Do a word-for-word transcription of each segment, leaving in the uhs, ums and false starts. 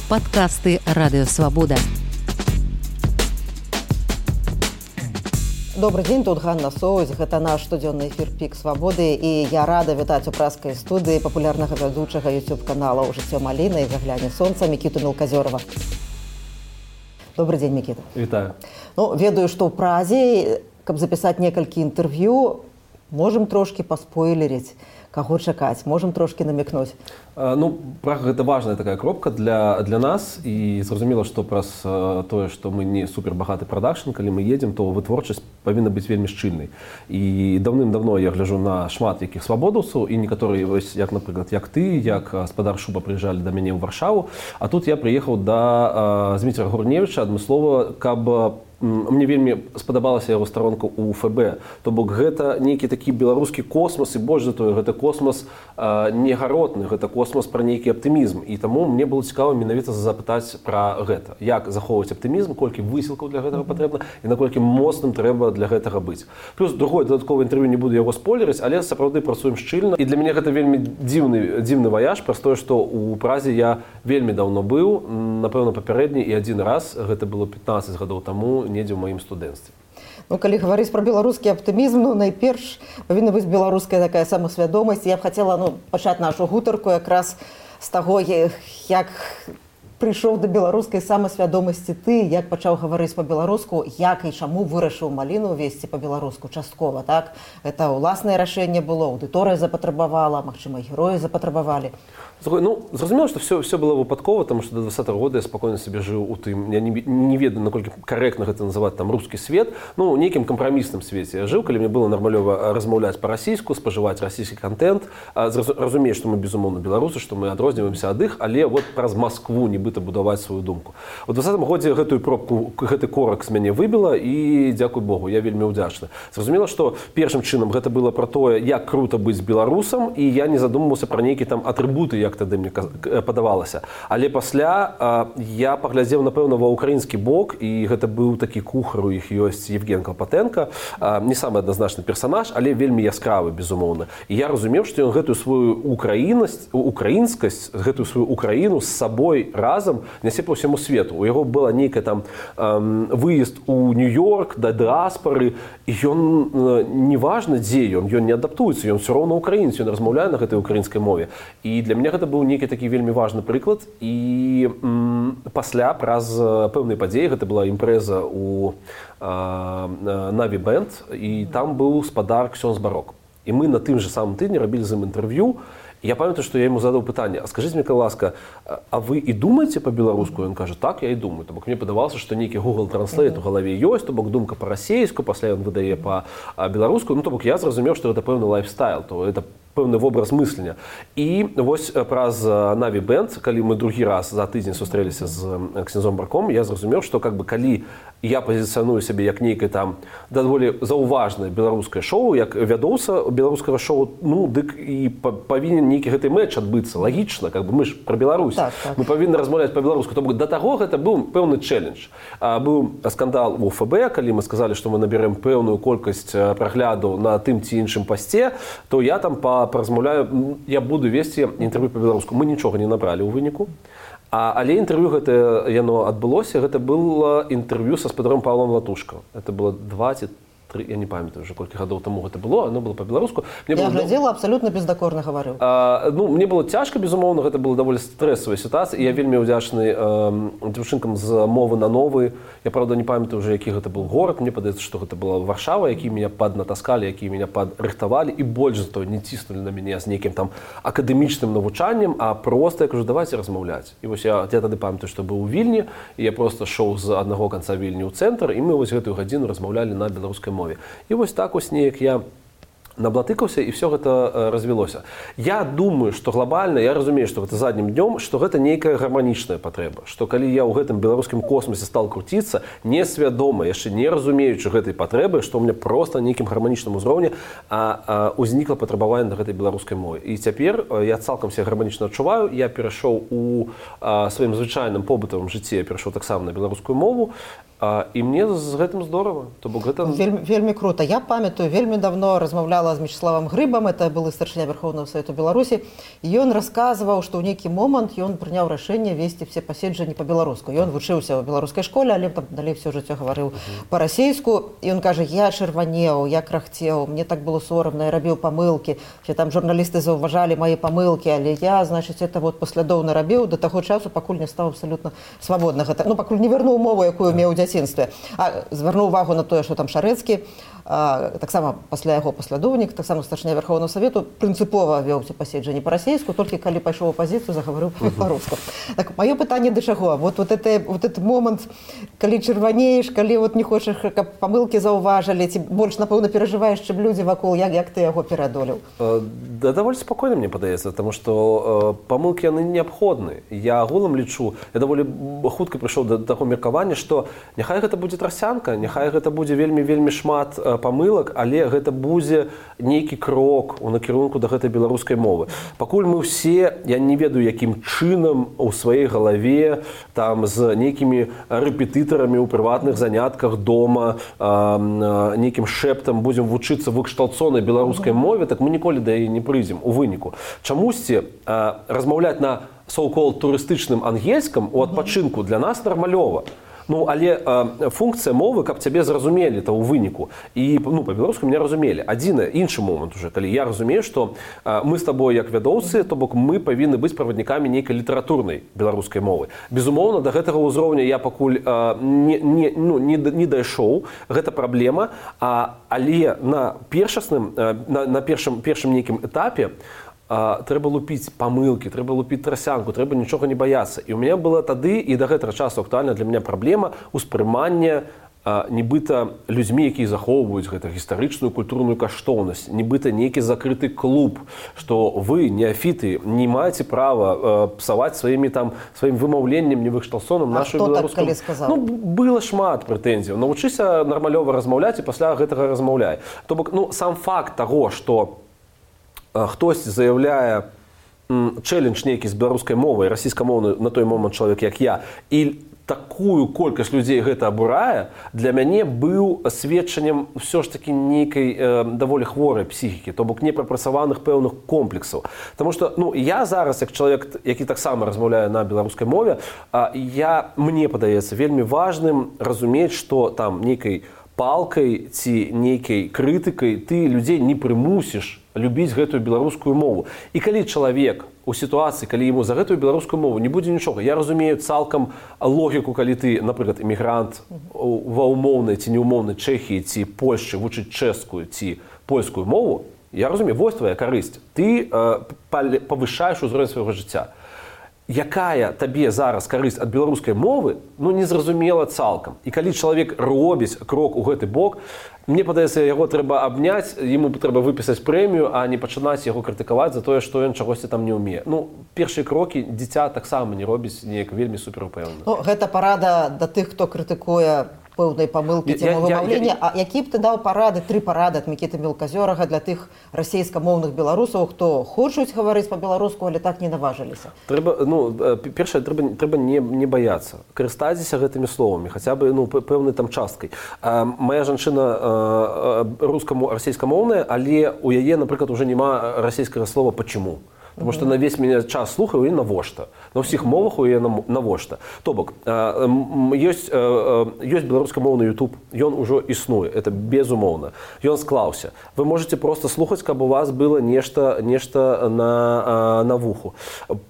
Падкасты Радыё Свабода. Добрый дзень, тут Ганна Соўз. Гэта наш штодзённы эфір «Пік Свабоды, і я рада вітаць у празкай студыі папулярнага вядучага YouTube-канала «Жыццё маліны» і «Загляне сонца» Мікіту Мелказёрова. Добрый дзень, Мікіта. Вітаю. Ну, ведаю, што ў Празе, каб запісаць некалькі інтэрв'ю, можам трошкі паспойлерыць, каго чакаць, можам трошкі намекнуць. Ну, Прага гэта важная такая кропка для, для нас, і зразумела, што праз тое, што мы не супербагаты прадакшн, калі мы едзем, то вытворчасць павінна быць вельмі шчыльнай. І даўным-давно я гляджу на шмат якіх свабодаўцаў, і некаторыя, як, напрыклад, як ты, як гаспадар Шуба прыязджалі да мяне ў Варшаву, а тут я прыехаў да Зміцера Гурневіча адмыслова, каб мне вельмі спадабалася яго старонка ў эф бэ. То бок гэта нейкі такі беларускі космас, і больш за тое, гэта космас а, не гаротны, гэта космас пра нейкі аптымізм. І таму мне было цікава менавіта запытаць пра гэта. Як захоўваць аптымізм, колькі высілкаў для гэтага патрэбна і наколькі моцным трэба для гэтага быць. Плюс другое дадатковае інтэрв'ю не буду яго спойлерыць, але сапраўды працуем шчыльна. І для мяне гэта вельмі дзіўны, дзіўны ваяж, праз тое, што ў Празе я вельмі даўно быў, напэўна, папярэдні, і адзін раз, гэта было пятнаццаць гадоў таму, недзе ў маім студэнцтве. Ну, калі гаварыць пра беларускі аптымізм, ну, найперш павінна быць беларуская такая самасвядомасць. Я б хацела ну, пачаць нашу гутарку якраз з таго, як прыйшоў да беларускай самасвядомасці ты, як пачаў гаварыць па-беларуску, як і чаму вырашыў маліну весці па-беларуску часткова, так? Гэта ўласнае рашэнне было, аўдыторыя запатрабавала, магчыма, героі запатрабавалі. Ну, зразумела, што все, все было выпадкова, таму што да двадцатага года я спакойна сабе жыў у тым, я не, не ведаю, наколькі карэктна гэта называць там рускі свет, ну, у нейкім кампрамісным свеце я жыў, калі мне было нармалёва размаўляць па-расійску, спажываць расійскі контент, разумею, што мы, безумоўна, беларусы, што мы адрозніваемся ад іх, але вот праз Маскву нібыта будаваць сваю думку. У двадцатым годзе гэтую пробку, гэты корак з мяне выбіла, і, дзякуй Богу, я вельмі ўдзячны. Зразумела, што першым чынам гэта было пра тое, як крута быць беларусам, і я не задумваўся пра нейкія там атрыбуты, як тады мне падавалася. Але пасля а, я паглядзеў, напэўна, ва ўкраінскі бок, і гэта быў такі кухар, у іх ёсць Евген Клапатенко, а, не самы адназначны персанаж, але вельмі яскравы, безумоўна. І я разумеў, што ён гэтую сваю украіннасць, украінскасць, гэтую сваю Украіну з сабой разам нясе па ўсяму свету. У яго была нейкая там эм, выезд у Нью-Йорк да дыаспары, і ён э, неважна, дзе ён, ён не адаптуецца, ён все роўна украінец, ён размаўляе на гэтай украінскай мове. І для мяне гэта быў нейкі такі вельмі важны прыклад, і м, пасля праз пэўнай падзеі, гэта была імпрэза у Наві Бэнд, і там быў спадар Ксёндз Барок. І мы на тым же самым тыдні рабілі з ім інтэрв'ю. Я памятаю, што я яму задаў пытанне: а скажыце мне, калі ласка, а вы і думаеце па-беларуску? Ён кажа: так, я і думаю. То бок мне падавалася, што нейкі Google Translate у галаве ёсць, то бок думка па-расейску, пасля ён выдае па-беларуску. Ну, то бок я зразумеў, што гэта пэўны лайфстайл, то это пэўны вобраз мыслення. І вось праз Наві Бэнд, калі мы другі раз за тыдзень сустрэліся з Ксёндзом Барком, я зразумеў, што как бы калі я пазіцыяную сябе як нейкае там даволі заўважнае беларускае шоу, як вядоўца беларускага шоу, ну, дык і павінен нейкі гэты мэч адбыцца, лагічна, как бы мы ж пра Беларусь. Так, так. Мы павінны размаўляць па-беларуску. То бок да таго гэта быў пэўны чэлендж. А, быў скандал у эф бэ, калі мы сказалі, што мы наберэм пэўную колькасць праглядаў на тым ці іншым пасце, то я там па паразмаўляю, я буду весці інтэрв'ю па-беларуску. Мы нічога не набралі ў выніку. А, але інтэрв'ю гэта яно адбылося, гэта было інтэрв'ю са спадаром Павлом Латушко. Это было двадцать тры, я не памятаю уже колькі гадоў таму гэта было, оно было па-беларуску. Я было... глядзела, абсалютна бездакорна гаварыў. А, ну, мне было цяжка, безумоўна, гэта была даволі стрэсавая сітуацыя, і я вельмі ўдзячны э, дзяўчынкам з мовы на новы. Я, правда, не памятаю уже, які гэта быў горад. Мне падаецца, што гэта была Варшава, які мяне паднатаскалі, які мяне падрыхтавалі, і больш за то не ціснулі на мяне з нейкім там акадэмічным навучаннем, а проста я кажу: давайте размаўляць. І вось я, я тады памятаю, што быў у Вільні, і я проста шоў з аднаго канца Вільні ў цэнтр, і мы вось гэтую гадзіну размаўлялі на беларускай мове. І вось так вось неяк я наблатыкаўся, і все гэта развілося. Я думаю, што глобальна, я разумею, што гэта заднім днём, што гэта нейкая гарманічная патрэба, што калі я ў гэтым беларускім космосе стал круціцца, несвядома, яшчэ не разумеючы гэтай патрэбы, што ў мяне проста нейкім гарманічным узроўні а, а, узнікла патрабаванне на гэтай беларускай мове. І цяпер я цалкам себе гарманічна адчуваю, я перайшоў у а, сваім звычайным побытавым жыцці, я перайшоў таксама на беларускую мову, А, і мне з гэтым здорава. То бок гэта... вельмі, вельмі круто. Я памятаю, вельмі давно размаўляла з Мячеславам Грыбам, это былы старшыня Верховного Совету Беларусі, і ён расказваў, што ў нейкі момант ён прыняў рашэнне весці все паседжанні па-беларуску. Ён вучыўся ў беларускай школе, але там далей все жыццё гаварыў па-расейску. І ён кажа, я чырванеў, я крахцеў, мне так было сорамна, я рабіў памылкі. Все там журналісты заўважалі мае памылкі, але я, значыць, это вот паслядоўна рабіў да таго часу, пакуль не стаў абсалютна свабодна. Ну, пакуль не вярнуў мову, якую меў у дзяцінстве. А звярнуў увагу на тое, што там Шарэцкі, таксама пасля яго паслядоўнік, таксама старшыня Верховного Совету, прынцыпова вёў паседжанні па-расейску, толькі калі пайшоў у апазіцыю, загаварыў па-руску. Так, маё пытанне да чаго? Вот, вот, это, вот этот момент, калі чырванееш, калі вот не хочаш, каб памылкі заўважылі, ці больш, напэўна, перажываеш, чым людзі вакол, як, як ты яго пераадолеў? Да, даволі спакойна, мне падаецца, потому што э, памылкі яны неабходны. Я агулам лічу, я даволі хутка прыйшоў да таго меркавання, што няхай гэта будзе трасянка, няхай гэта будзе вельмі-вельмі шмат э, памылак, але гэта будзе нейкі крок у накірунку да гэтай беларускай мовы. Пакуль мы ўсе, я не ведаю, якім чынам у сваёй галаве там з нейкімі рэпетытарамі ў прыватных занятках дома, э, э, нейкім шэптам будзем вучыцца выкшталцонай беларускай мове, так мы ніколі да яе не прыйдзем у выніку. Чамусьці э, размаўляць на so-called турыстычным ангельскам у адпачынку для нас нармалёва. Ну, але э, функція мовы, каб цябе зразумелі то ў выніку. І ну, па-беларуску меня разумелі. Адзіны іншы момант уже, калі я разумею, што э, мы з табой як вядоўцы, то бок мы павінны быць праваднікамі нейкай літаратурнай беларускай мовы. Безумоўна, да гэтага ўзроўня я пакуль э, не, не, ну, не, не дайшоў, гэта праблема, а, але на першасным, э, на, на першым, першым нейкім этапе А, трэба лупіць памылкі, трэба лупіць трасянку, трэба нічога не баяцца. І ў мяне была тады і да гэтага часу актуальна для мяне праблема ўспрымання а, нібыта людзьмі, якія захоўваюць гэта гістарычную культурную каштоўнасць, нібыта нейкі закрыты клуб, што вы, неафіты, не маеце права а, псаваць сваімі там сваім вымаўленнем невыкшталцоным нашу беларускую. А хто так калі сказаў? Ну, было шмат прэтэнзіяў. Навучыся нармалёва размаўляць і пасля гэтага размаўляй. То бок, ну, сам факт таго, што хтось заяўляе чэлендж нейкі з беларускай мовай, расійскамоўны на той момант чалавек, як я, і такую колькасць людзей гэта абурае, для мяне быў сведчаннем ўсё ж такі нейкай э, даволі хворай псіхікі, то бок непрапрацаваных пэўных комплексаў. Таму што ну, я зараз, як чалавек, які таксама размаўляе на беларускай мове, э, я, мне падаецца вельмі важным разумець, што там нейкай палкай ці нейкай крытыкай ты людзей не прымусіш любіць гэтую беларускую мову. І калі чалавек у сітуацыі, калі яму за гэтую беларускую мову не будзе нічога, я разумею цалкам логіку, калі ты, напрыклад, эмігрант ва ўмоўнай ці неўмоўнай Чэхіі ці Польшчы вучыць чэшскую ці польскую мову, я разумею, вось твая карысць. Ты э, павышаеш узровень свайго жыцця. Якая табе зараз карысць ад беларускай мовы, ну, незразумела цалкам. І калі чалавек робіць крок у гэты бок, мне падаецца, яго трэба абняць, яму трэба выпісаць прэмію, а не пачынаць яго крытыкаваць за тое, што ён чагосьці там не ўмее. Ну, першыя крокі дзіця таксама не робіць неяк вельмі суперупэўна. Ну, гэта парада да тых, хто крытыкуе пэўнай памылкі ці вымаўлення. А які б ты даў парады, тры парады ад Мікіты Мелказёрага для тых расейскамоўных беларусаў, хто хочуць гаварыць па-беларуску, але так не наважыліся? Трэба, ну, першае, трэба, трэба не, не баяцца. Карыстайцеся гэтымі словамі, хаця бы ну, пэўнай там часткай. А, моя жанчына рускаму расейскамоўная, але у яе, напрыклад, уже няма расейскага слова «почему». Потому что на весь меня час слухаю, і навошта. На ўсіх мовах у яе навошта. То бок, ёсць, ёсць беларускамоўны YouTube, ён ужо існуе, это безумоўна. Ён склаўся. Вы можете просто слухаць, каб у вас было нешта, нешта на, на вуху.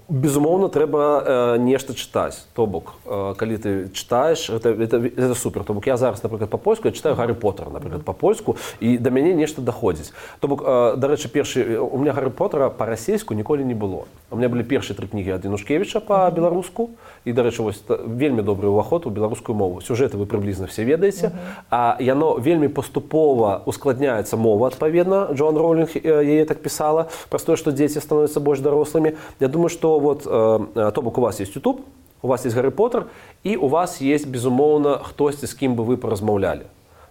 Безумоўна, трэба нешта чытаць. То бок, калі ты чытаеш, это, это, это супер. То бок, я зараз, напрыклад, па-польску, я чытаю Гаррі Поттера, напрыклад, па-польску, і да мяне нешта даходзіць. То бок, дарэчы, першы, у меня Гаррі Поттера па-расейску ніколі не было. У меня былі першыя тры кнігі ад Янушкевіча па-беларуску, і, дарэчы, вось вельмі добры ўваход у беларускую мову. Сюжэты вы прыблізна все ведаеце, uh-huh. а яно вельмі паступова ускладняецца мова, адпаведна. Джоан Роулінг яе так пісала, праз тое, што дзеці становяцца больш дарослымі. Я думаю, што вот, э, то бок у вас есть YouTube, у вас есть Гаррі Поттер, і у вас есть, безумоўна, хтосьці, з кім бы вы паразмаўлялі.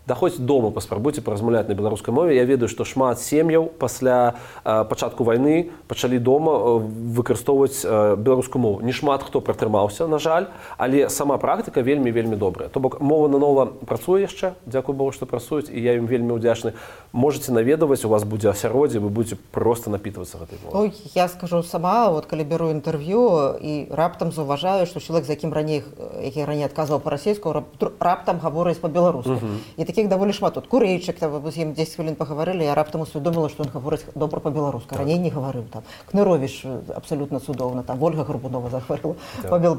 да хоць дома паспрабуйце паразмаўляць на беларускай мове. Я ведаю, што шмат сем'яў пасля э, пачатку вайны пачалі дома э, выкарыстоўваць э, беларускую мову. Не шмат хто пратрымаўся, на жаль, але сама практыка вельмі вельмі добрая. То бок мова нанова працуе яшчэ, дзякуй Богу, што працуюць, і я ім вельмі ўдзячны. Можаце наведаваць, у вас будзе асяроддзе, вы будзеце проста напітвацца гэтай мовай. Ой, я скажу сама, вот калі беру інтэрв'ю і раптам заўважаю, што чалавек, з якім раней, які раней адказваў па-расейску, раптам гаворыць па-беларуску. Uh-huh. І такіх даволі шмат. Тут Курэйчык, там, з ім дзесяць хвілін пагаварылі, я раптам усвядоміла, што ён гаворыць добра па-беларуску. Раней не гаварыў. Там Кныровіч абсалютна цудоўна, там Ольга Гарбунова загаварыла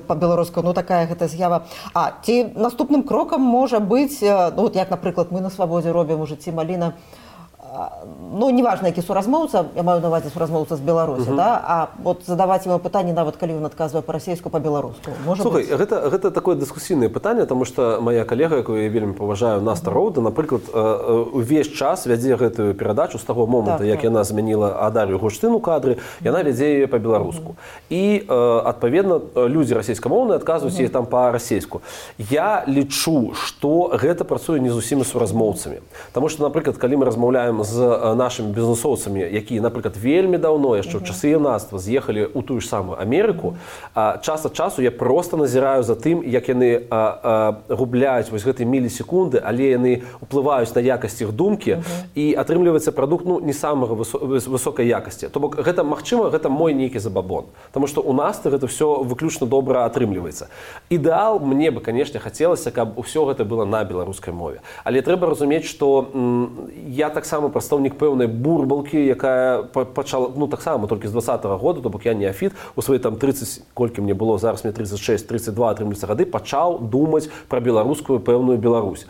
па-беларуску. Ну, такая гэта з'ява. А ці наступным крокам можа быць, ну, от як, напрыклад, мы на Свабодзе робім у жыцці Маліна, ну, неважна, які суразмоўца, я маю на увазе суразмоўца з Беларусі, uh-huh. да? А вот задаваць яму пытанне, нават калі ён адказвае па-расейску, па-беларуску. Слухай, гэта, гэта такое дыскусійнае пытанне, таму што моя калега, якую я вельмі паважаю, Наста Роўда, напрыклад, увесь час вядзе гэтую перадачу з таго моманту, так, як так. яна змяніла Адар'ю Гурштын у кадры, яна вядзе яе па-беларуску. Uh-huh. І, адпаведна, людзі расейскамоўныя адказваюць uh-huh. яе там па-расейску. Я лічу, што гэта працуе не з усімі суразмоўцамі. Таму што, напрыклад, калі мы размаўляем з нашымі бізнесоўцамі, якія, напрыклад, вельмі даўно, яшчэ ў часы юнацтва з'ехалі ў тую ж самую Амерыку, час ад часу я проста назіраю за тым, як яны губляюць вось гэтай мілісекунды, але яны ўплываюць на якасць іх думкі, uh-huh. і атрымліваецца прадукт, ну, не самага высокай якасці. То бок гэта, магчыма, гэта мой нейкі забабон. Таму што ў нас гэта ўсё выключна добра атрымліваецца. Ідэал мне бы, канешне, хацелася, каб усё гэта было на беларускай мове. Але трэба разумець, што м, я таксама прадстаўнік пэўнай бурбалкі, якая пачала, ну, таксама толькі з двадцатага года, то бок я неафіт, у свае там трыццаць, колькі мне было, зараз мне трыццаць шэсць трыццаць два атрымліваецца гады, пачаў думаць пра беларускую пэўную Беларусь.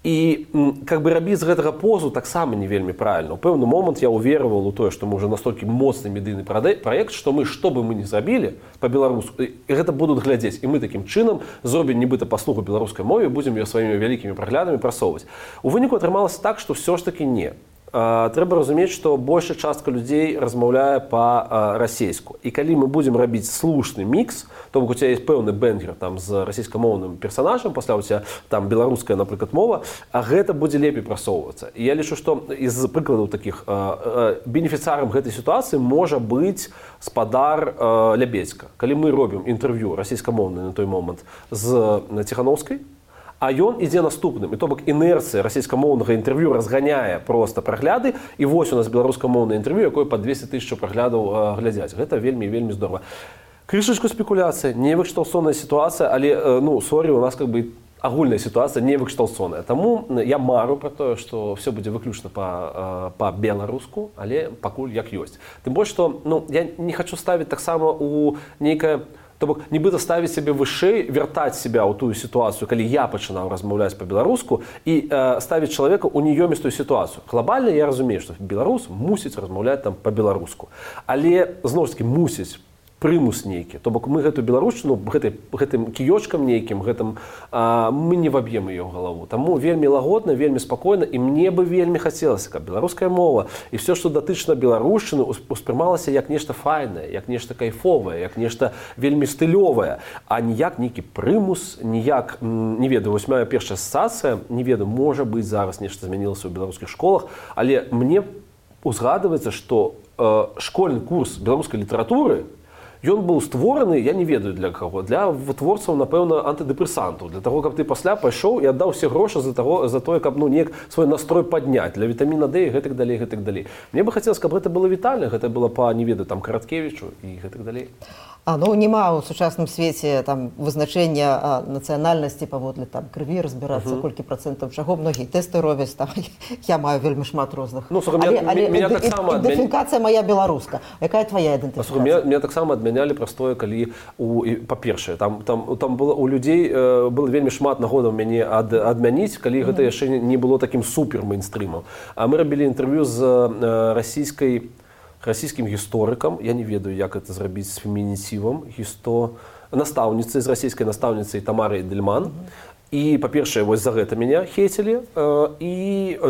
І как бы рабіць з гэтага позу таксама не вельмі правільна. У пэўны момант я увераваў у тое, што мы ўжо настолькі моцны медыйны праект, што мы, што бы мы не зрабілі па-беларуску, гэта будуць глядзець. І мы такім чынам зробім нібыта паслугу беларускай мове, будзем ее сваімі вялікімі праглядамі прасоўваць. У выніку атрымалася так, што ўсё ж такі не. Трэба разумець, што большая частка людзей размаўляе па-расейску. І калі мы будзем рабіць слушны мікс, то бок у цябе ёсць пэўны бэнгер там з расійскамоўным персанажам, пасля у цябе там беларуская, напрыклад, мова, а гэта будзе лепей прасоўвацца. І я лічу, што з прыкладаў такіх бенефіцарам гэтай сітуацыі можа быць спадар Лябедзька. Калі мы робім інтэрв'ю расійскамоўнае на той момант з Ціханаўскай, а ён ідзе наступным. І то бок інерцыя расійскамоўнага інтэрв'ю разганяе проста прагляды, і вось у нас беларускамоўнае інтэрв'ю, якое па двесце тысяч праглядаў глядзяць. Гэта вельмі вельмі здорава. Крышачку спекуляцыя, невыкшталцоная сітуацыя, але, ну, сорі, у нас как бы агульная сітуацыя невыкшталцоная. Таму я мару пра тое, што ўсё будзе выключна па-беларуску, але пакуль як ёсць. Тым больш, што, ну, я не хачу ставіць таксама у нейкае, то бок нібыта ставіць сябе вышэй, вяртаць себя ў тую сітуацыю, калі я пачынаў размаўляць па-беларуску, і э, ставіць чалавека ў неёмістую сітуацыю. Глобальна я разумею, што беларус мусіць размаўляць там па-беларуску. Але, зноў ж такі, мусіць прымус нейкі. То бок мы гэтую беларушчыну гэтай, гэтым кіёчкам нейкім, гэтым, а, мы не ваб'ем яе ў галаву. Таму вельмі лагодна, вельмі спакойна, і мне бы вельмі хацелася, каб беларуская мова і все, што датычна беларушчыны, успрымалася як нешта файнае, як нешта кайфовае, як нешта вельмі стылёвае, а ніяк нейкі прымус, ніяк, не ведаю, вось моя першая асацыяцыя, не ведаю, можа быць, зараз нешта змянілася ў беларускіх школах, але мне узгадваецца, што э, школьны курс беларускай літаратуры, ён быў створаны, я не ведаю для каго, для вытворцаў, напэўна, антыдэпрэсантаў, для таго, каб ты пасля пайшоў і аддаў усе грошы за, таго, за тое, каб, ну, неяк свой настрой падняць, для вітаміна Д і гэтак далей, гэтак далей. Мне бы хацелася, каб гэта было вітальна, гэта было па, не ведаю, там, Караткевічу і гэтак далей. А, ну, няма ў сучасным свеце там вызначэння нацыянальнасці паводле там крыві разбірацца, uh-huh. колькі процентаў чаго, многія тэсты робяць, там я маю вельмі шмат розных. Ну, слухай, але, але меня, меня так само ідэнтыфікацыя моя беларуска. Якая твоя ідэнтыфікацыя? Меня, меня таксама адмянялі простое, калі у па-першае, там там там было у людзей э, было вельмі шмат нагодаў мяне ад, адмяніць, калі гэта яшчэ не было такім супер мейнстрымам. А мы рабілі інтэрв'ю з э, расійскай расійскім гісторыкам, я не ведаю, як гэта зрабіць з фемінітивам, гісто... настаўніцай, з расійскай настаўніцай Тамарай Дельман. І, па-першае, вось за гэта мяне хейцілі. І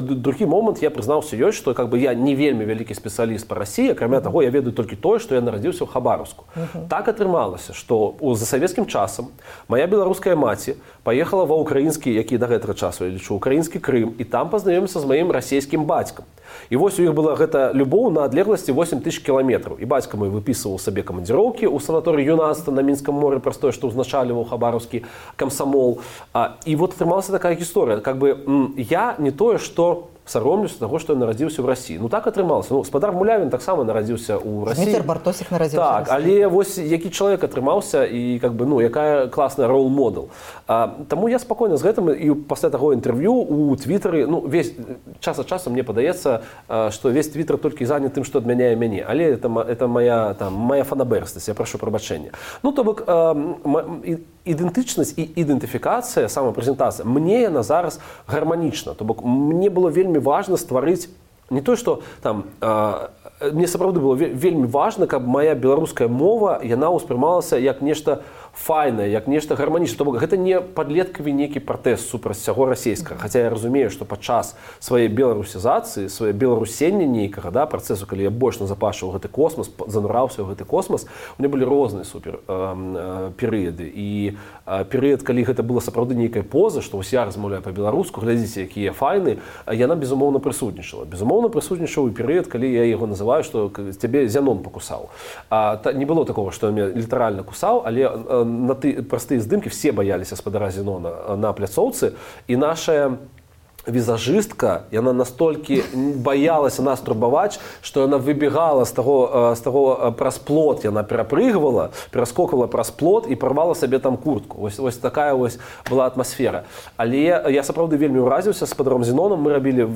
другі момант, я прызнаўся ёсць, што как бы, я не вельмі вялікі спецыяліст па Расіі, акрамя таго, я ведаю толькі тое, што я нарадзіўся ў Хабаровску. Uh-huh. Так атрымалася, што за савецкім часам моя беларуская маці паехала ва ўкраінскі, які да гэтага часу, я лічу, украінскі Крым, і там пазнаёміўся з маім расійскім бацькам. І вось у іх была гэта любоў на адлегласці восемь тысяч кіламетраў. І бацька мой выпісываў сабе камандзіроўкі ў санаторыі юнацтва на Мінскам моры, праз тое, што ўзначальваў хабаровскі камсамол. А, і вот атрымалася такая гісторыя. Как бы, я не тое, што саромлюся таго, што я нарадзіўся ў Расіі. Ну так атрымалася. Ну, спадар Мулявін таксама нарадзіўся ў Расіі. Дмітр Бартосік нарадзіўся так, ў Расіі. Але вось які чалавек атрымаўся і как бы, ну, якая класная рол-модел. Таму я спакойна з гэтым і пасля таго інтэрв'ю у Твітары, ну, весь час ад часу мне падаецца, што весь Твітар толькі занят тым, што адмяняе мяне. Але это, это моя, там, моя фанабэрстасць, я прашу прабачэння. Ну, то бок, ідэнтычнасць і ідэнтыфікацыя, самапрэзентацыя, мне яна зараз гарманічна. То бок, мне было вельмі важна стварыць не то, што там э, мне сапраўды было вельмі важна, каб моя беларуская мова яна ўспрымалася як нешта файнае, як нешта гарманічнае. То бок гэта не падлеткавы нейкі пратэст супраць усяго расійскага. Хаця я разумею, што падчас сваёй беларусізацыі, сваёй беларусення нейкага, да, працэсу, калі я больш назапашваў гэты космас, занураўся ў гэты космас, у меня былі розныя супер э, э, перыяды. І э, перыяд, калі гэта была сапраўды нейкая поза, што вось я размаўляю па-беларуску, глядзіце, якія файны, яна безумоўна прысутнічала. Безумоўна прысутнічаў і перыяд, калі я яго называю, што цябе Зянон пакусаў. А, та, не было такого, што я літаральна кусаў, але э, на ты, простые здымкі все бояліся спадара Зенона на пляцоўцы, і наша візажыстка, яна настолькі баялася нас турбаваць, што яна выбегала з таго, з таго праз плот, яна перапрыгвала, пераскоквала праз плот і парвала сабе там куртку. Вось, вось такая вось была атмасфера. Але я сапраўды вельмі ўразіўся з спадаром Зеноном. Мы рабілі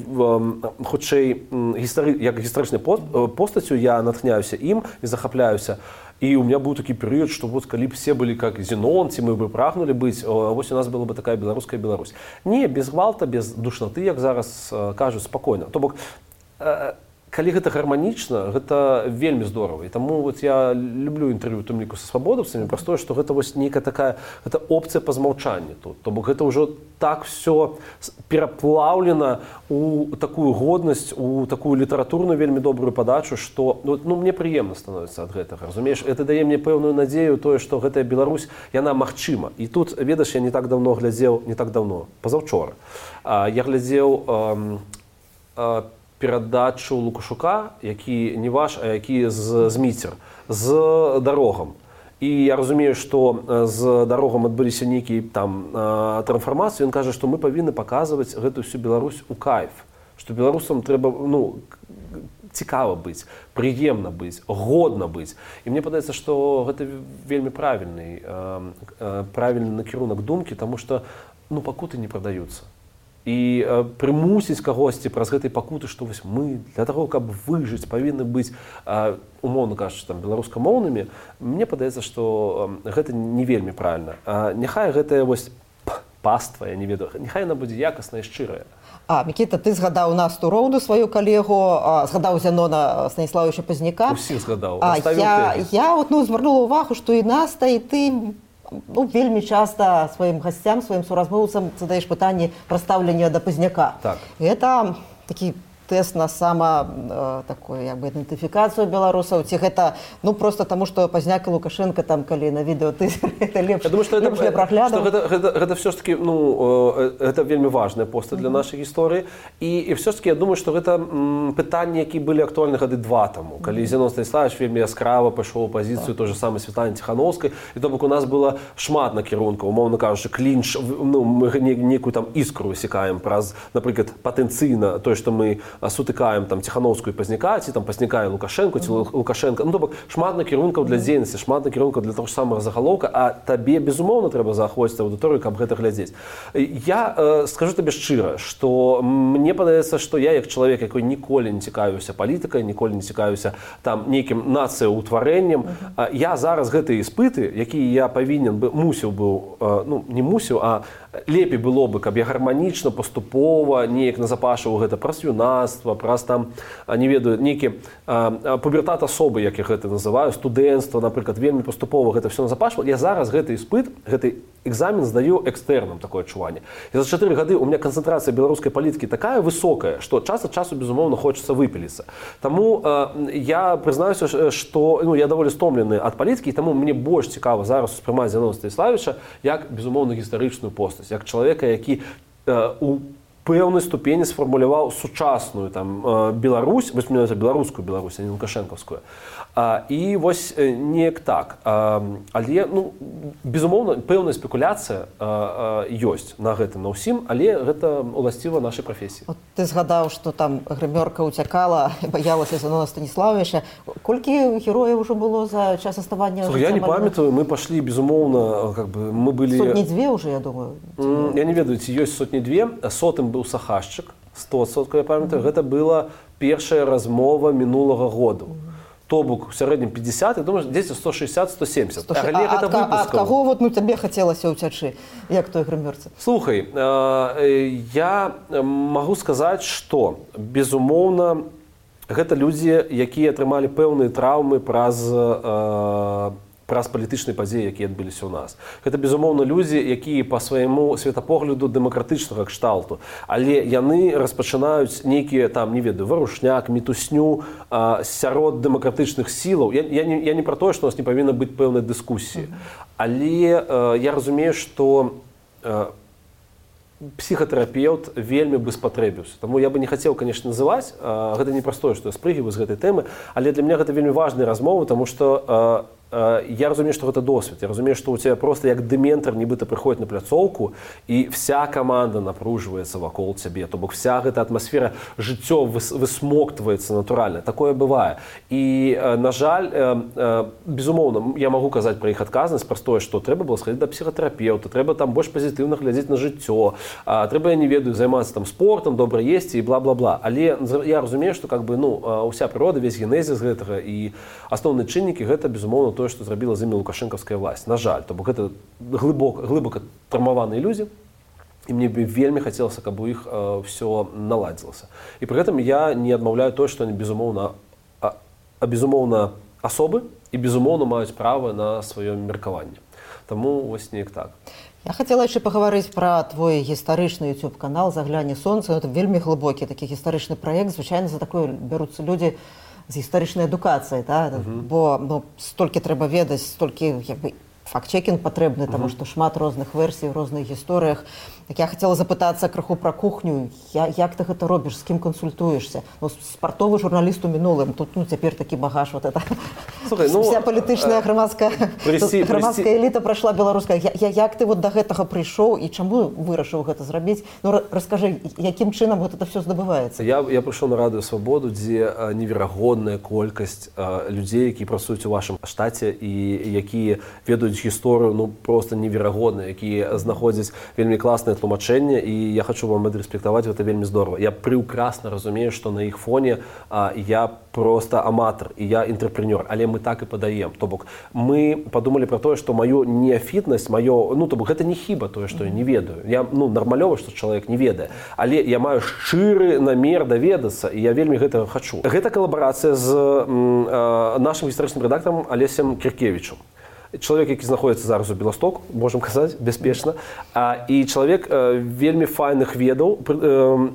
хутчэй гістары, як гістарычнай постацю, я натхняюся ім і захапляюся. І у меня быў такі перыяд, што вот калі б все былі как Зенон, ці мы бы прагнулі быць, вось у нас была бы такая беларуская Беларусь. Не, без гвалта, без душнаты, як зараз кажуць, спакойна. То бок, калі гэта гарманічна, гэта вельмі здорава. І таму вот я люблю інтэрв'ю, у тым ліку са свабодаўцамі, праз тое, што гэта вось нейкая такая, гэта опцыя па змаўчанні тут. То бок гэта ўжо так все пераплаўлена у такую годнасць, у такую літаратурную вельмі добрую падачу, што ну, ну, мне прыемна становіцца ад гэтага. Разумееш, это дае мне пэўную надзею тое, што гэтая Беларусь, яна магчыма. І тут, ведаш, я не так даўно глядзеў, не так даўно, пазаўчора. Я глядзеў э, э, перадачу Лукашука, які не ваш, а які з, з Міцер, з дарогам. І я разумею, што з дарогам адбыліся нейкія там трансфармацыі. Ён кажа, што мы павінны паказваць гэтую всю Беларусь у кайф. Што беларусам трэба, ну, цікава быць, прыемна быць, годна быць. І мне падаецца, што гэта вельмі правільны, правільны накірунак думкі, таму што, ну, пакуты не прадаюцца. І э, прымусіць кагосьці праз гэтай пакуты, што вось мы для таго, каб выжыць, павінны быць, э, умоўна кажучы, там, беларускамоўнымі, мне падаецца, што э, гэта не вельмі правільна. А няхай гэтая вось паства, я не ведаю, няхай яна будзе якасная і шчырая. А, Мікіта, ты згадаў Насту Роўду, сваю калегу, а, згадаў Зянона Станіславовича Пазняка. Усіх згадаў. А, я, я вот, ну, звярнула ўвагу, што і Наста, і ты ну, вельмі часта сваім гасцям, сваім суразмоўцам задаеш пытанне пра стаўленне да Пазняка. Так. Гэта такі тэст на сама э, такую як бы ідэнтыфікацыю беларусаў, ці гэта ну просто таму, што Пазняк і Лукашенко там калі на відэо ты это лепш. Я думаю, што это, для прагляду. Гэта, гэта, гэта все ж таки, ну, гэта вельмі важная поста для нашай гісторыі. І, і все ж таки я думаю, што гэта м, пытанні, які былі актуальны гады два таму, калі Зенон Станіславович вельмі яскрава пайшоў у пазіцыю той же самой Святланы Ціхановскай, і то бок у нас было шмат накірункаў, умоўна кажучы, клінч, ну, мы нейкую там іскру высекаем праз, напрыклад, патэнцыйна тое, што мы сутыкаем там Ціхановскую і Пазняка, ці там Пазняка і Лукашенко, ці Лукашенко. Ну, то бок шмат накірункаў для дзейнасці, шмат накірункаў для того ж самага загалоўка, а табе безумоўна трэба заахвоціць аўдыторыю, каб гэта глядзець. Я э, скажу табе шчыра, што мне падаецца, што я як чалавек, якой ніколі не цікавіўся палітыкай, ніколі не цікавіўся там нейкім нацыяўтварэннем, э, я зараз гэтыя іспыты, якія я павінен бы мусіў быў, э, ну, не мусіў, а лепей было бы, каб я гарманічна, паступова, неяк назапашваў гэта праз юнацтва, юнацтва, праз там, не ведаю, нейкі пубертат асобы, як я гэта называю, студэнцтва, напрыклад, вельмі паступова гэта все назапашвала. Я зараз гэты іспыт, гэты экзамен здаю экстэрнам, такое адчуванне. І за чатыры гады у меня канцэнтрацыя беларускай палітыкі такая высокая, што час ад часу, безумоўна, хочацца выпіліцца. Таму э, я прызнаюся, што ну, я даволі стомлены ад палітыкі, і таму мне больш цікава зараз успрымаць Зяноўна Станіславіча як, безумоўна, гістарычную постаць, як чалавека, які э, у пэўнай ступені сфармуляваў сучасную там, э, Беларусь, вось менавіта беларускую Беларусь, а не лукашэнкаўскую. А, і вось неяк так. А, але, ну, безумоўна, пэўная спекуляцыя а, а, ёсць на гэта, на ўсім, але гэта уласціва нашай прафесіі. От ты згадаў, што там грымёрка ўцякала, баялася Зяноўна Станіславіча. Колькі герояў ужо было за час аставання? Слухай, я не памятаю, мы пашлі, безумоўна, как бы, мы былі... Сотні-две ўжо, я думаю. Я не ведаю, ці ёсць сотні-две. Сотым быў Сахашчык, сто адсоткаў, я памятаю. Гэта была першая размова мінулага году. То бок, у сярэднім пятьдесят, я думаю, дзесьці сто шестьдесят - сто семьдесят. А, а, а ад каго вот, ну, табе хацелася ўцячы, як той грымёрцы? Слухай, э, я магу сказаць, што, безумоўна, гэта людзі, якія атрымалі пэўныя траўмы праз, э, праз палітычныя падзеі, якія адбыліся ў нас. Гэта, безумоўна, людзі, якія па свайму светапогляду дэмакратычнага кшталту, але яны распачынаюць нейкія, там, не ведаю, варушняк, мітусню а, сярод дэмакратычных сілаў. Я, я, не, я не пра тое, што у нас не павінна быць пэўнай дыскусіі, але а, я разумею, што а, псіхатэрапеўт вельмі бы спатрэбіўся. Таму я бы не хацеў, конечно, называць, а, гэта не простое, што я спрыгиваю з гэтай тэмы, але для мяне гэта вельмі важная размова, таму што а, я разумею, што гэта досвед. Я разумею, што у тебя просто як дэментар нібыта прыходзіць на пляцоўку, і вся каманда напружваецца вакол цябе. То бок вся гэта атмасфера жыццё высмоктваецца натуральна. Такое бывае. І, на жаль, безумоўна, я магу казаць пра іх адказнасць, праз тое, што трэба было схадзіць да псіхатэрапеўта, трэба там больш пазітыўна глядзець на жыццё, трэба, я не ведаю, займацца там спортам, добра есці і бла-бла-бла. Але я разумею, што как бы, ну, уся прырода, весь генезіс гэтага і асноўныя чыннікі гэта, безумоўна, тое, што зрабіла з імі лукашэнкаўская власць. На жаль, то бок гэта глыбока, глыбока траўмаваныя людзі, і мне бы вельмі хацелася, каб у іх э, все наладзілася. І пры гэтым я не адмаўляю тое, што они, безумоўна, а, а, безумоўна асобы і, безумоўна, маюць права на сваё меркаванне. Таму вось неяк так. Я хацела яшчэ пагаварыць пра твой гістарычны YouTube-канал «Загляне сонца». Гэта вельмі глыбокі такі гістарычны праект. Звычайна за такое бяруцца людзі з гістарычнай адукацыяй, да? Uh-huh. Бо ну, столькі трэба ведаць, столькі як бы, факт-чекінг патрэбны, uh-huh. таму што шмат розных версій, розных гісторыях. Так я хацела запытацца крыху пра кухню. Я, як ты гэта робіш, з кім кансультуешся? Ну, спартовы журналіст у мінулым, тут ну, цяпер такі багаж. Вот это. Слухай, ну, вся палітычная грамадская, прысці, грамадская прысці... эліта прайшла беларуская. Я, я, як ты вот да гэтага прыйшоў і чаму вырашыў гэта зрабіць? Ну, раскажы, якім чынам вот это все здабываецца? Я, я прыйшоў на Радыё Свабоду, дзе неверагодная колькасць а, людзей, якія працуюць у вашым штаце і якія ведаюць гісторыю, ну, просто неверагодна, якія знаходзяць вельмі класныя тлумачэнне, і я хочу вам адрэспектаваць, гэта вельмі здорава. Я прыўкрасна разумею, што на іх фоне а, я просто аматар, і я інтрапрэнёр, але мы так і падаем. То бок, мы падумалі пра тое, што маё неафітнасць, маё, ну, то бок, гэта не хіба тое, што я не ведаю. Я, ну, нармалёва, што чалавек не ведае, але я маю шчыры намер даведацца, і я вельмі гэтага хачу. Гэта калабарацыя з м, а, нашым гістарычным рэдактарам Алесем Кіркевічам. Чалавек, які знаходзіцца зараз у Беластоку, можам казаць, бяспечна, а, і чалавек э, вельмі файных ведаў, э,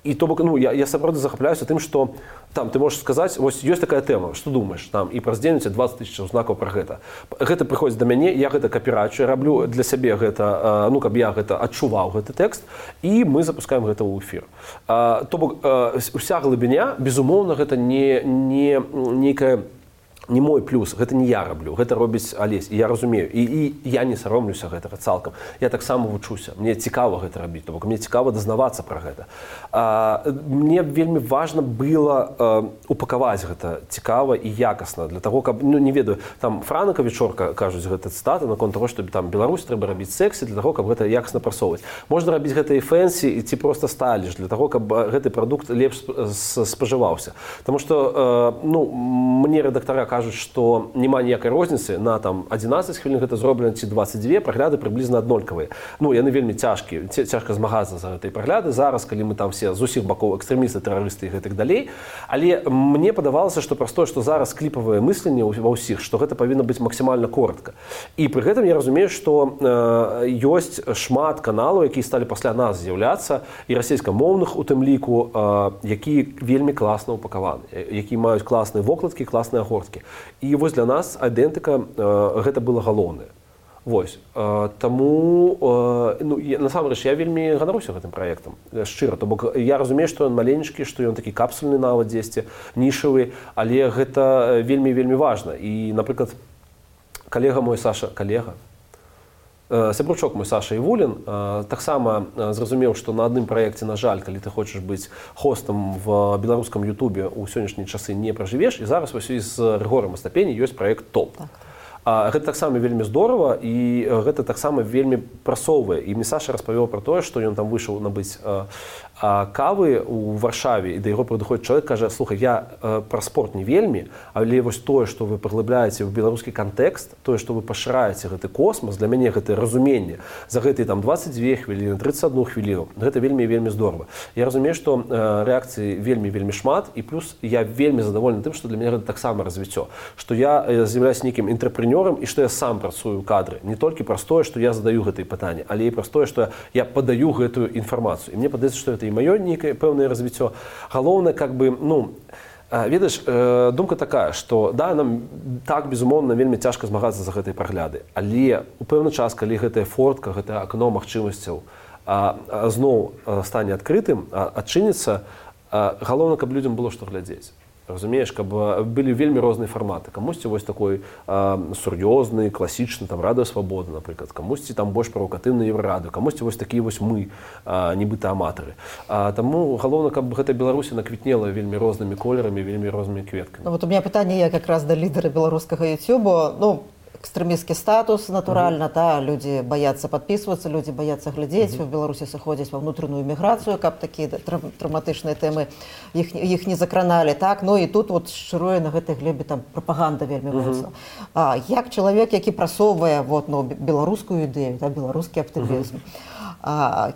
і то бок, ну, я, я сапраўды захапляюся тым, што там ты можаш сказаць, вось ёсць такая тэма, што думаеш, там, і праз дзень у цябе дваццаць тысяч знакаў пра гэта. Гэта прыходзіць да мяне, я гэта капірачу, я раблю для сябе гэта, э, ну, каб я гэта адчуваў, гэты тэкст, і мы запускаем гэта ў эфір. Э, то бок, э, уся глыбіня, безумоўна, гэта не, не нейкая не мой плюс, гэта не я раблю, гэта робіць Алесь, і я разумею, і, і я не саромлюся гэтага цалкам. Я таксама вучуся, мне цікава гэта рабіць, то бок мне цікава дазнавацца пра гэта. А, мне вельмі важна было а, упакаваць гэта цікава і якасна, для таго, каб, ну, не ведаю, там Франка Вечорка кажуць гэта цытаты наконт таго, што там Беларусь трэба рабіць сэксі, для таго, каб гэта якасна прасоўваць. Можна рабіць гэта і фэнсі, і ці проста сталіш, для таго, каб гэты прадукт лепш спажываўся. Таму што, а, ну, мне рэдактара кажуць, кажуць, што няма ніякай розніцы на там адзінаццаць хвілін гэта зроблена ці дваццаць дзве, прагляды прыблізна аднолькавыя. Ну, яны вельмі цяжкія, цяжка змагацца за гэтай прагляды зараз, калі мы там все з усіх бакоў экстрэмісты, тэрарысты і гэтак далей. Але мне падавалася, што праз тое, што зараз кліпавае мысленне ва ўсіх, што гэта павінна быць максімальна коротка. І пры гэтым я разумею, што э, ёсць шмат каналаў, якія сталі пасля нас з'яўляцца, і расейскамоўных у тым ліку, э, якія вельмі класна упакаваны, якія маюць класныя вокладкі, класныя агорткі. І вось для нас айдэнтыка э, гэта было галоўнае. Вось. Э, таму, э, ну, я, насамрэч, я вельмі ганаруся гэтым праектам, шчыра. То бок я разумею, што ён маленечкі, што ён такі капсульны нават дзесьці, нішавы, але гэта вельмі-вельмі важна. І, напрыклад, калега мой Саша, калега, сябручок мой Саша Івулін таксама зразумеў, што на адным праекце, на жаль, калі ты хочаш быць хостам в беларускам ютубе ў сённяшнія часы не пражывеш, і зараз вось з Рыгорам Астапені ёсць праект топ. Так. Гэта таксама вельмі здорава, і гэта таксама вельмі прасоўвае. І мне Саша распавёў пра тое, што ён там выйшаў набыць кавы ў Варшаве, і да яго прыходзіць чалавек, кажа: слухай, я э, пра спорт не вельмі, але вось тое, што вы паглыбляеце ў беларускі кантэкст, тое, што вы пашыраеце гэты космас, для мяне гэта разуменне за гэтыя там дваццаць дзве хвіліны, трыццаць адну хвіліну, гэта вельмі вельмі здорава. Я разумею, што э, рэакцыі вельмі вельмі шмат, і плюс я вельмі задаволены тым, што для мяне гэта таксама развіццё, што я э, з'яўляюся нейкім інтрапрэнёрам і што я сам працую ў кадры, не толькі праз тое, што я задаю гэтыя пытанні, але і праз тое, што я падаю гэтую інфармацыю. І мне падаецца, што гэта і маё нейкае пэўнае развіццё. Галоўнае, как бы, ну, ведаеш, э, думка такая, што да, нам так, безумоўна, вельмі цяжка змагацца за гэтыя прагляды, але у пэўны час, калі гэтая фортка, гэтае акно магчымасцяў а, а, зноў стане адкрытым, а, адчыніцца, а, галоўна, каб людзям было што глядзець. Разумееш, каб былі вельмі розныя фарматы. Камусьці вось такой а, сур'ёзны, класічны, там, Радыё Свабода, напрыклад, камусьці там больш правакатыўны Еўрарадыё, камусьці вось такія вось мы, а, нібыта аматары. А, таму галоўна, каб гэта Беларусі наквітнела вельмі рознымі колерамі, вельмі рознымі кветкамі. Ну, вот у меня пытанне я как раз да лідара беларускага ютубу. Ну, экстремистский статус, натурально, uh-huh. да, люди боятся подписываться, люди боятся глядеть, uh-huh. в Беларуси заходят во внутреннюю миграцию, как такие трав- травматичные темы, их, их не закранали, так, ну и тут вот шируе на этой глебе там пропаганда вельми моцна. Uh-huh. А, як человек, який просовывая вот, ну, белорусскую идею, да, белорусский оптимизм, uh-huh. а,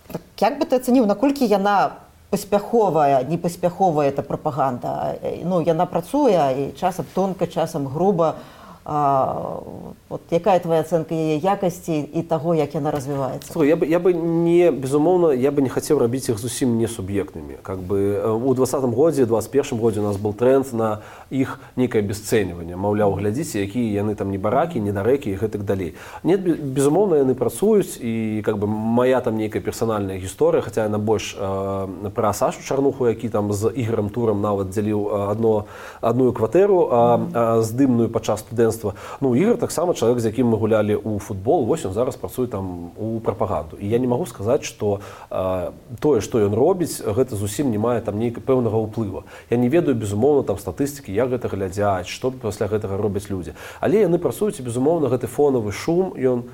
так, як бы ты оценил, наколькі яна паспяховая, непаспяховая эта пропаганда, ну, яна працуе, и часам тонко, часам грубо. А, вот якая твоя ацэнка яе якасці і таго, як яна развіваецца? Слухай, я бы, я бы не, безумоўна, я бы не хацеў рабіць іх зусім не суб'ектнымі. Как бы у двадцатым годзе, двадцать первым годзе у нас был тренд на іх нейкае абесцэньванне. Маўляў, глядзіце, якія яны там не баракі, не дарэкі і гэтак далей. Нет, безумоўна, яны працуюць, і как бы моя там нейкая персанальная гісторыя, хаця яна больш э, пра Сашу Чарнуху, які там з Ігорем Турам нават дзяліў адно, адную кватэру, а, а, здымную падчас студэнцтва. Ну, Ігор таксама чалавек, з якім мы гулялі ў футбол, вось ён зараз працуе там у прапаганду. І я не магу сказаць, што э, тое, што ён робіць, гэта зусім не мае там нейкага пэўнага ўплыва. Я не ведаю, безумоўна, там статыстыкі, як гэта глядзяць, што пасля гэтага робяць людзі. Але яны працуюць, і, безумоўна, гэты фонавы шум, ён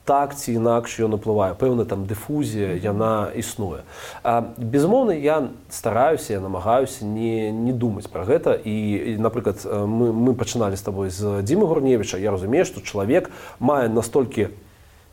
так ці інакш ён уплывае. Пэўна там дыфузія, яна існуе. А, безумоўна, я стараюся, я намагаюся не, не думаць пра гэта. І, і напрыклад, мы, мы пачыналі з табой з Дзімы Гурневіча. Я разумею, што чалавек мае настолькі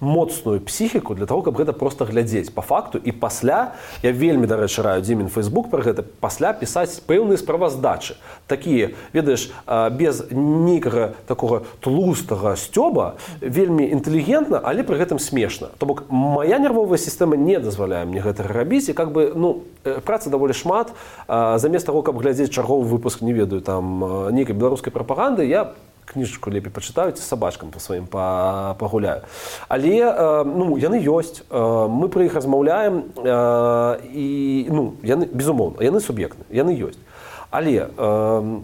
моцную псіхіку для того, каб гэта проста глядзець па факту. І пасля, я вельмі, дарэчы, раю Дзімін Фейсбук пра гэта, пасля пісаць пэўныя справаздачы. Такія, ведаеш, без нейкага такога тлустага сцёба, вельмі інтэлігентна, але пры гэтым смешна. То бок, моя нервовая сістэма не дазваляе мне гэта рабіць, і как бы, ну, працы даволі шмат. Замест таго, каб глядзець чарговы выпуск, не ведаю, там, нейкай беларускай прапаганды, я кніжку лепей пачытаю, ці сабачкам па сваім пагуляю. Але э, ну, яны ёсць, э, мы пра іх размаўляем, э, і ну, яны, безумоўна, яны суб'ектны, яны ёсць. Але э,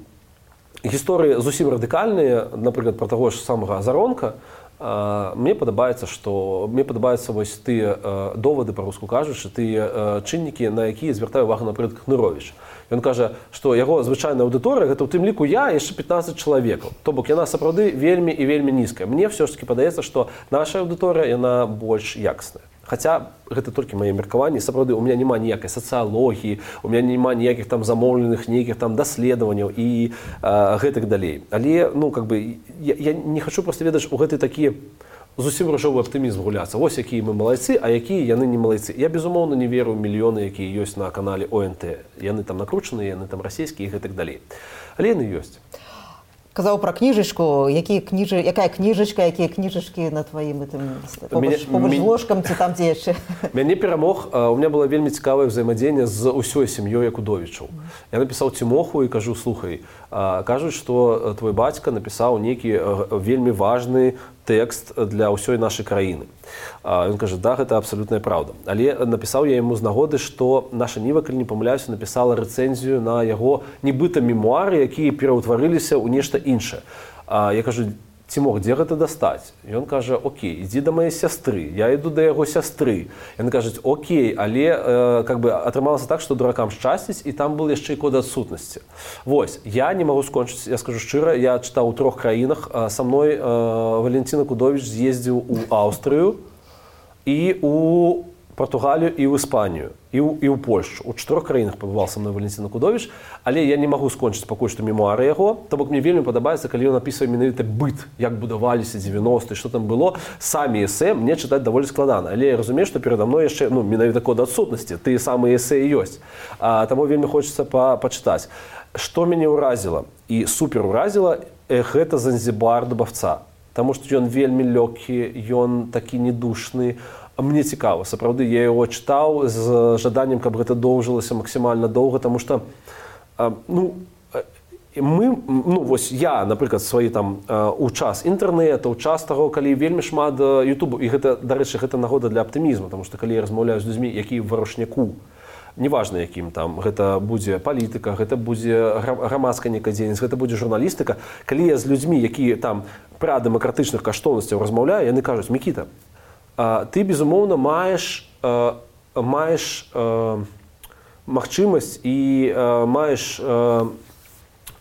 гісторыі зусім радыкальныя, напрыклад, пра таго ж самага Азаронка, э, мне падабаецца, што мне падабаюцца вось тыя э, довады, па-руску кажучы, тыя э, чыннікі, на якія звяртае увагу, напрыклад, Кныровіч. Ён кажа, што яго звычайная аўдыторыя, гэта ў тым ліку я і яшчэ пятнаццаць чалавекаў. То бок яна сапраўды вельмі і вельмі нізкая. Мне ўсё ж таки падаецца, што наша аўдыторыя, яна больш якасная. Хаця гэта толькі мае меркаванні, сапраўды у меня няма ніякай сацыялогіі, у меня няма ніякіх там замоўленых нейкіх там даследаванняў і а, гэтак далей. Але ну как бы я, я не хочу просто ведаць у гэты такі зусім ружовы аптымізм гуляцца. Вось якія мы малайцы, а якія яны не малайцы. Я безумоўна не веру ў мільёны, якія ёсць на канале О Н Т. Яны там накручаныя, яны там расійскія і гэтак далей. Але яны ёсць. Казаў пра кніжачку, якія кніжы, якая кніжачка, якія кніжачкі на тваім гэтым побач з ложкам ці там дзе яшчэ? Мяне перамог, у меня была вельмі цікавае ўзаемадзеянне з усёй сям'ёй Якудовічаў. Я напісаў Цімоху і кажу, слухай, кажуць, што твой бацька напісаў нейкі вельмі важны тэкст для ўсёй нашай краіны. Ён кажа, да, гэта абсалютная праўда. Але напісаў я яму з нагоды, што наша Ніва, калі не памыляюся, напісала рэцэнзію на яго нібыта мемуары, якія пераўтварыліся ў нешта іншае. Я кажу, Цімох, дзе гэта дастаць? Ён кажа, окей, ідзі да маёй сястры. Я іду да яго сястры. Яны кажуць, окей, але э, как бы атрымалася так, што дуракам шчасціць, і там был яшчэ і код адсутнасці. Вось, я не магу скончыць, я скажу шчыра, я чытаў у трох краінах. Са мной э, Валентин Якудовіч з'ездзіў у Аўстрыю і у Португалію і ў Іспанію, і ў, і ў Польшу. У чатырох краінах пабываў са мной Валентин Якудовіч, але я не магу скончыць пакуль што мемуары яго. То бок мне вельмі падабаецца, калі ён апісвае менавіта быт, як будаваліся дзевяностыя, што там было. Самі эсэ мне чытаць даволі складана. Але я разумею, што перада мной яшчэ ну, менавіта код адсутнасці, тыя самыя эсэ і ёсць. А, таму вельмі хочацца па, пачытаць. Што мяне ўразіла і супер ўразіла, э, гэта Занзібар Дубаўца. Таму што ён вельмі лёгкі, ён такі недушны. Мне цікава, сапраўды, я яго чытаў з жаданнем, каб гэта доўжылася максімальна доўга, таму што ну, мы, ну, вось я, напрыклад, свае там у час інтэрнэта, у час таго, калі вельмі шмат Ютубу, і гэта, дарэчы, гэта нагода для аптымізму, таму што калі я размаўляю з людзьмі, якія ў варушняку, неважна якім там, гэта будзе палітыка, гэта будзе грамадская нейкая дзейнасць, гэта будзе журналістыка, калі я з людзьмі, якія там пра дэмакратычных каштоўнасцяў размаўляю, яны кажуць, Мікіта, ты, безумоўна, маеш, маеш магчымасць і маеш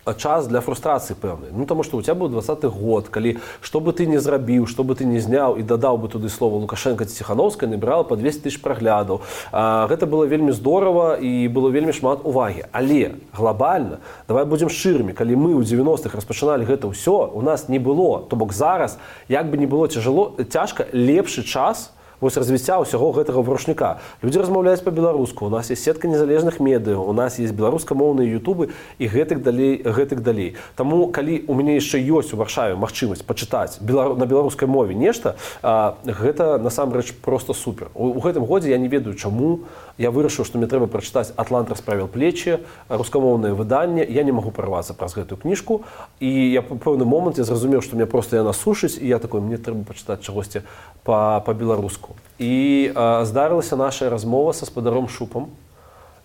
час для фрустрацыі пэўнай. Ну, таму што ў цябе быў дваццаты год, калі што бы ты не зрабіў, што бы ты не зняў і дадаў бы туды слова Лукашенка ці Ціхановская, набірала па двесце тысяч праглядаў. Гэта было вельмі здорава і было вельмі шмат увагі. Але глобальна, давай будзем шчырымі, калі мы ў дзевяностых распачыналі гэта ўсё, у нас не было. То бок зараз, як бы не было цяжало, цяжка, лепшы час вось развіцця ўсяго гэтага варушніка. Людзі размаўляюць па-беларуску, у нас есть сетка незалежных медыяў, у нас есть беларускамоўныя ютубы і гэтак далей, гэтак далей. Таму, калі у мяне яшчэ ёсць у Варшаве магчымасць пачытаць белару... на беларускай мове нешта, а, гэта насамрэч проста супер. У, у гэтым годзе я не ведаю, чаму я вырашыў, што мне трэба прачытаць «Атлант расправіл плечі», рускамоўнае выданне. Я не магу прарвацца праз гэтую кніжку, і я па пэўны момант я зразумеў, што мне проста яна сушыць, і я такой, мне трэба пачытаць чагосьці па-беларуску. І а, здарылася наша размова са спадаром Шупам.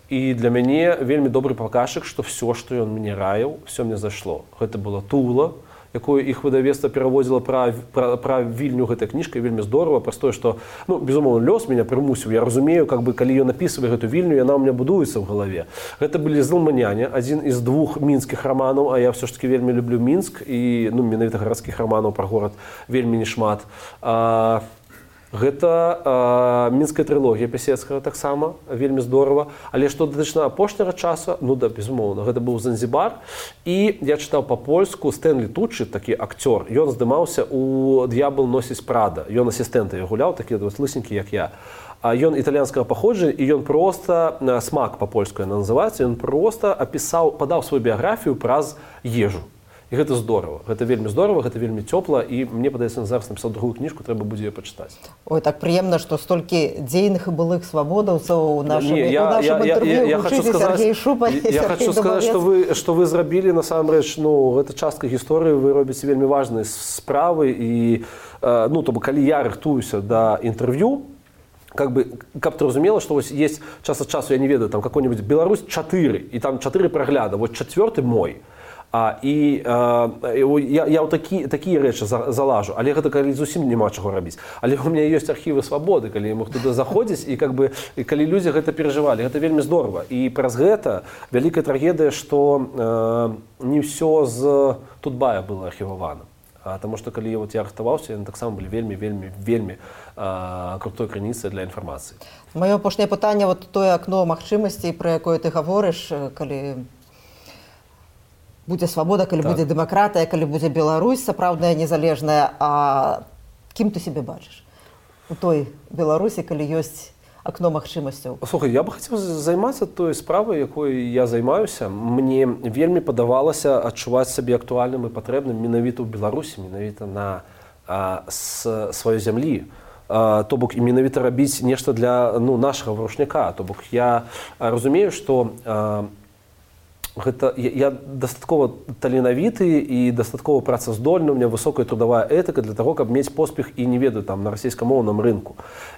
І для мяне вельмі добры паказчык, што все, што ён мне раіў, все мне зайшло. Гэта была Тула, якую іх выдавецтва пераводзіла пра, пра, пра Вільню гэтая кніжка, вельмі здорава, праз тое, што, ну, безумоўна, лёс мяне прымусіў. Я разумею, как бы, калі ён напісвае гэту Вільню, яна ў мяне будуецца ў галаве. Гэта былі «Злманяне», адзін з двух мінскіх раманаў, а я ўсё ж таки вельмі люблю Мінск, і, ну, менавіта гарадскіх раманаў пра горад вельмі не шмат. А, Гэта э, мінская трылогія Пісецкага таксама, вельмі здорава. Але што датычна апошняга часу, ну да, безумоўна, гэта быў Занзібар. І я чытаў па-польску Стэнлі Туччы, такі акцёр. Ён здымаўся у «Д'ябл носіць Прада». Ён асістэнта гуляў, такі лысенькі, як я. А ён італьянскага паходжання, і ён проста, «Смак» па-польску яна называецца, ён проста апісаў, падаў сваю біяграфію праз ежу. І гэта здорава. Гэта вельмі здорава, гэта вельмі цёпла, і мне падаецца, зараз напісаў другую кніжку, трэба будзе яе пачытаць. Ой, так прыемна, што столькі дзейных і былых свабодаўцаў у нашым, Не, я, у нашым я, інтэрв'ю я, я вучыце Сергей Шупа і Я хочу сказаць, што вы, што вы зрабілі, насамрэч, ну, гэта частка гісторыі, вы робіце вельмі важныя справы, і, ну, то бок, калі я рыхтуюся да інтэрв'ю, как бы, каб ты разумела, што вось есть час ад часу, я не ведаю, там какой-нибудь Беларусь чатыры, і там чатыры прагляда, вот чацвёрты мой. А, і а, я, я ў такі, такія рэчы за, залажу, але гэта калі зусім няма чаго рабіць. Але ў мяне ёсць архівы свабоды, калі я мог туды заходзіць, і, как бы, і калі людзі гэта перажывалі, гэта вельмі здорава. І праз гэта вялікая трагедыя, што э, не ўсё з Тутбая было архівавана. А, потому что калі вот я рыхтаваўся, яны таксама былі вельмі вельмі вельмі а, крутой крыніцай для інфармацыі. Маё апошняе пытанне, вот тое акно магчымасцей, пра якое ты гаворыш, калі будзе свабода, калі так. будзе дэмакратыя, калі будзе Беларусь сапраўдная незалежная, а кім ты себе бачыш у той Беларусі, калі ёсць акно магчымасцяў? Слухай, я бы хацеў займацца той справай, якой я займаюся. Мне вельмі падавалася адчуваць сабе актуальным і патрэбным менавіта ў Беларусі, менавіта на а, с, сваёй зямлі. А, то бок і менавіта рабіць нешта для ну, нашага варушняка. То бок я разумею, што а, гэта, я, я дастаткова таленавіты і дастаткова працаздольны, у меня высокая трудовая этыка для того, каб мець поспех і не ведаю там на расійскамоўным рынку.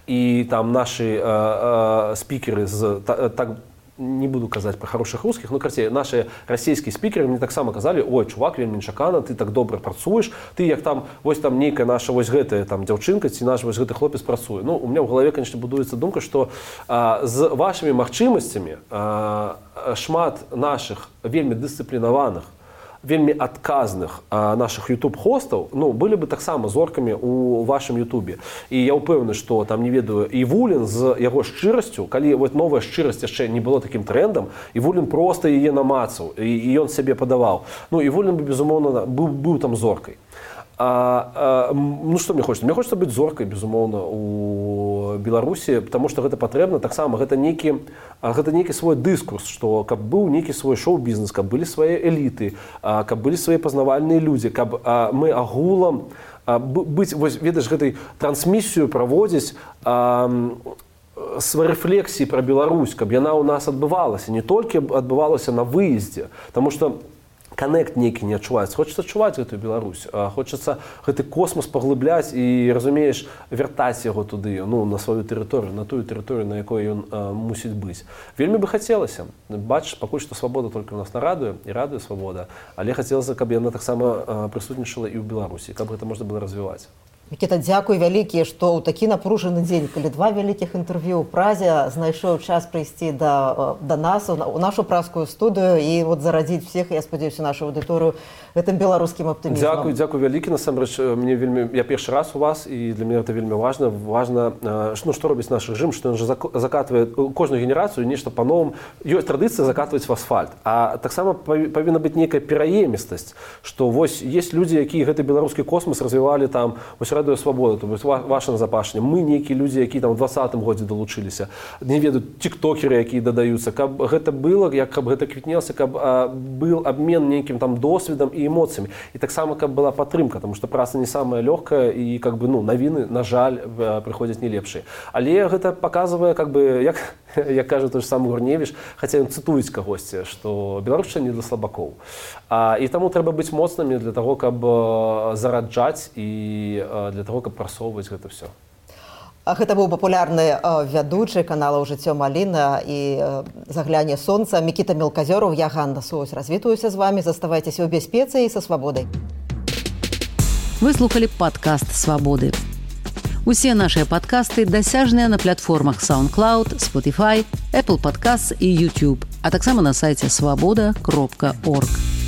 І там нашы э, э, спікеры з та, так не буду казаць про хороших русских, ну карцей, наши расійскія спікеры мне таксама казалі: ой, чувак, вельмі нечакана, ты так добра працуеш, ты як там вось там нейкая наша вось гэтая там дзяўчынка ці наш вось гэты хлопец працуе. Ну у меня в галаве, конечно, будуецца думка, што а, з вашымі магчымасцямі а, шмат наших вельмі дысцыплінаваных, вельмі адказных а, наших YouTube-хостаў, ну, былі бы таксама зоркамі у вашым YouTube. І я ўпэўнены, што там, не ведаю, Івулін з яго шчырасцю, калі вот новая шчырасць яшчэ не было такім трэндам, Івулін проста яе намацаў, і, і ён сябе падаваў. Ну, Івулін бы, безумоўна, быў, быў там зоркай. А, а, ну што мне хочется? Мне хочется быць зоркай, безумоўна, у Беларусі, потому што гэта патрэбна. Таксама гэта нейкі, гэта нейкі свой дыскурс, што каб быў нейкі свой шоу-бізнес, каб былі свае эліты, а, каб былі свае пазнавальныя людзі, каб а, мы агулам а, быць, вось, ведаеш, гэтай трансмісію праводзіць а, свае рэфлексіі пра Беларусь, каб яна ў нас адбывалася, не толькі адбывалася на выездзе, таму што коннект нейкі не адчуваецца. Хочацца адчуваць гэтую Беларусь, хочацца гэты космос паглыбляць і, разумееш, вяртаць яго туды, ну, на сваю тэрыторыю, на тую тэрыторыю, на якой ён а, мусіць быць. Вельмі бы хацелася. Бачыш, пакуль што свабода толькі ў нас на радыё, і радыё свабода, але хацелася, каб яна таксама прысутнічала і ў Беларусі, каб гэта можна было развіваць. Мікіта, дзякуй вялікі, што ў такі напружаны дзень, калі два вялікіх інтэрв'ю ў Празе, знайшоў час прыйсці да, да нас, у нашу празскую студыю і вот зарадзіць всех, я спадзяюся, нашу аўдыторыю гэтым беларускім аптымізмам. Дзякуй, дзякуй вялікі, насамрэч, мне вельмі, я першы раз у вас, і для мяне гэта вельмі важна. Важна, ну, што робіць наш рэжым, што ён жа закатвае кожную генерацыю нешта па-новым. Ёсць традыцыя закатваць в асфальт. А таксама павінна быць нейкая пераемістасць, што вось ёсць людзі, якія гэты беларускі космас развівалі там, вось радыё свабода, то есть ваше назапашне. Мы нейкія людзі, якія там у двадцатым годзе далучыліся. Не ведаю, тиктокеры, якія дадаюцца. Каб гэта было, як каб гэта квітнелася, каб а, был абмен нейкім там досведам і эмоцыямі. І таксама каб была падтрымка, тому што праца не самая лёгкая і как бы, ну, навіны, на жаль, прыходзяць не лепшыя. Але гэта паказвае, как бы, як, як кажа той ж сам Гурневіч, хаця ён цытуюць кагосьці, што беларушчына не для слабакоў. А, і таму трэба быць моцнымі для таго, каб зараджаць і для того, каб прасоўваць гэта ўсё. Гэта быў папулярны вядучы каналаў «Жыццё Маліна» і «Загляне сонца» Мікіта Мелказёраў. Я Ганна Соус. Развітваюся з вами. Заставайцеся ў бяспецы і са свабодай. Вы слухалі падкаст «Свабоды». Усе нашыя падкасты дасяжныя на платформах SoundCloud, Spotify, Apple Podcasts і YouTube, а таксама на сайце свабода кропка орг.